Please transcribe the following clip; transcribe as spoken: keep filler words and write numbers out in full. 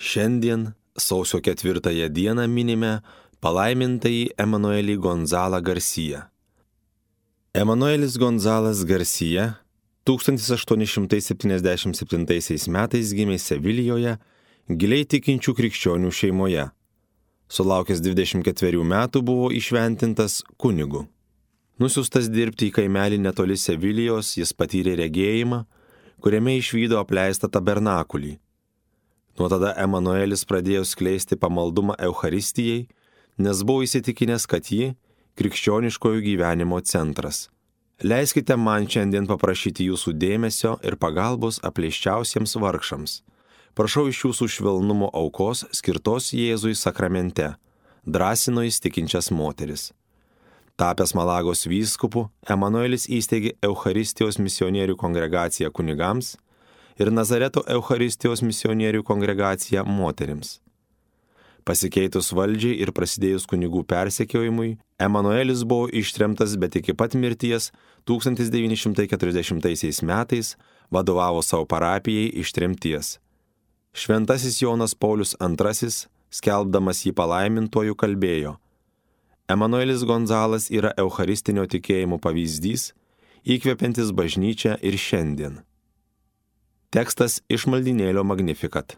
Šiandien, sausio ketvirtąją dieną, minime palaimintąjį Emanuelį Gonzalą Garcia. Emanuelis Gonzalas Garcia tūkstantis aštuoni šimtai septyniasdešimt septintaisiais metais gimė Sevilijoje, giliai tikinčių krikščionių šeimoje. Sulaukęs dvidešimt ketverių metų buvo įšventintas kunigu. Nusiųstas dirbti į kaimelį netoli Sevilijos, jis patyrė regėjimą, kuriame išvydo apleistą tabernakulį. Nuo tada Emanuelis pradėjo skleisti pamaldumą Eucharistijai, nes buvo įsitikinęs, kad ji krikščioniškojo gyvenimo centras. Leiskite man šiandien paprašyti jūsų dėmesio ir pagalbos apleiščiausiems vargšams. Prašau iš jūsų švelnumo aukos skirtos Jėzui sakramente, drąsino jis tikinčias moteris. Tapęs Malagos vyskupu, Emanuelis įsteigė Eucharistijos misionierių kongregaciją kunigams ir Nazareto Eucharistijos misionierių kongregaciją moterims. Pasikeitus valdžiai ir prasidėjus kunigų persekiojimui, Emanuelis buvo ištremtas, bet iki pat mirties tūkstantis devyni šimtai keturiasdešimtaisiais metais vadovavo savo parapijai iš tremties. Šventasis Jonas Paulius antrasis, skelbdamas jį palaimintuoju, kalbėjo: Emanuelis Gonzalas yra eucharistinio tikėjimo pavyzdys, įkvepiantis bažnyčią ir šiandien. Tekstas iš maldynėlio Magnificat.